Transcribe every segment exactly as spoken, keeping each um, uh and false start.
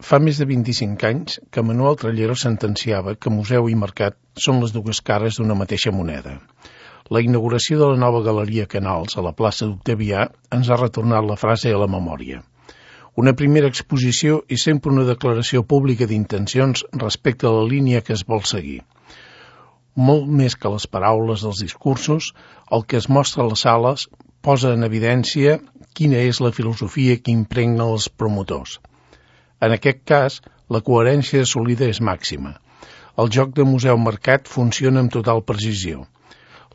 Fa més de vint-i-cinc anys que Manuel Trallero sentenciava que museu i mercat són les dues cares d'una mateixa moneda. La inauguració de la nova Galeria Canals a la plaça d'Octavià ens ha retornat la frase a la memòria. Una primera exposició és sempre una declaració pública d'intencions respecte a la línia que es vol seguir. Molt més que les paraules dels discursos, el que es mostra a les sales posa en evidència quina és la filosofia que impregna els promotors. En aquest cas, la coherència assolida és màxima. El joc de museu-mercat funciona amb total precisió.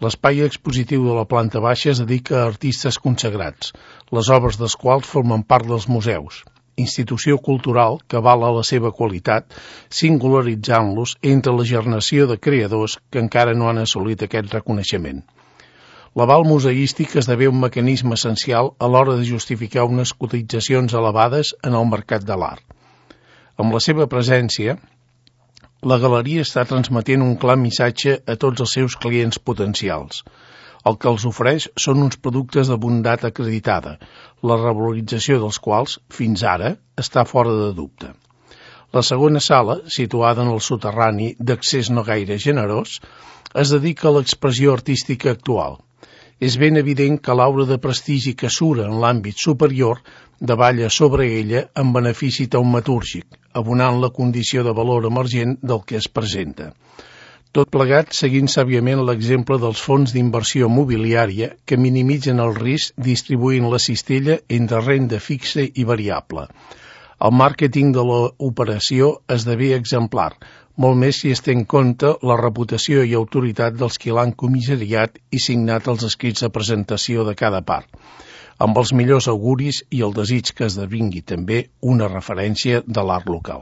L'espai expositiu de la planta baixa es dedica a artistes consagrats, les obres dels quals formen part dels museus, institució cultural que avala la seva qualitat, singularitzant-los entre la generació de creadors que encara no han assolit aquest reconeixement. L'aval museístic esdevé un mecanisme essencial a l'hora de justificar unes cotitzacions elevades en el mercat de l'art. Amb la seva presència, la galeria està transmetent un clar missatge a tots els seus clients potencials. El que els ofereix són uns productes de bondat acreditada, la revalorització dels quals, fins ara, està fora de dubte. La segona sala, situada en el soterrani d'accés no gaire generós, es dedica a l'expressió artística actual. És ben evident que l'aura de prestigi que sura en l'àmbit superior davalla sobre ella en benefici taumatúrgic, abonant la condició de valor emergent del que es presenta. Tot plegat seguint sàviament l'exemple dels fons d'inversió mobiliària que minimitzen el risc distribuint la cistella entre renda fixa i variable. El màrqueting de l'operació esdevé exemplar, molt més si es té en compte la reputació i autoritat dels qui l'han comissariat i signat els escrits de presentació de cada part, amb els millors auguris i el desig que esdevingui també una referència de l'art local.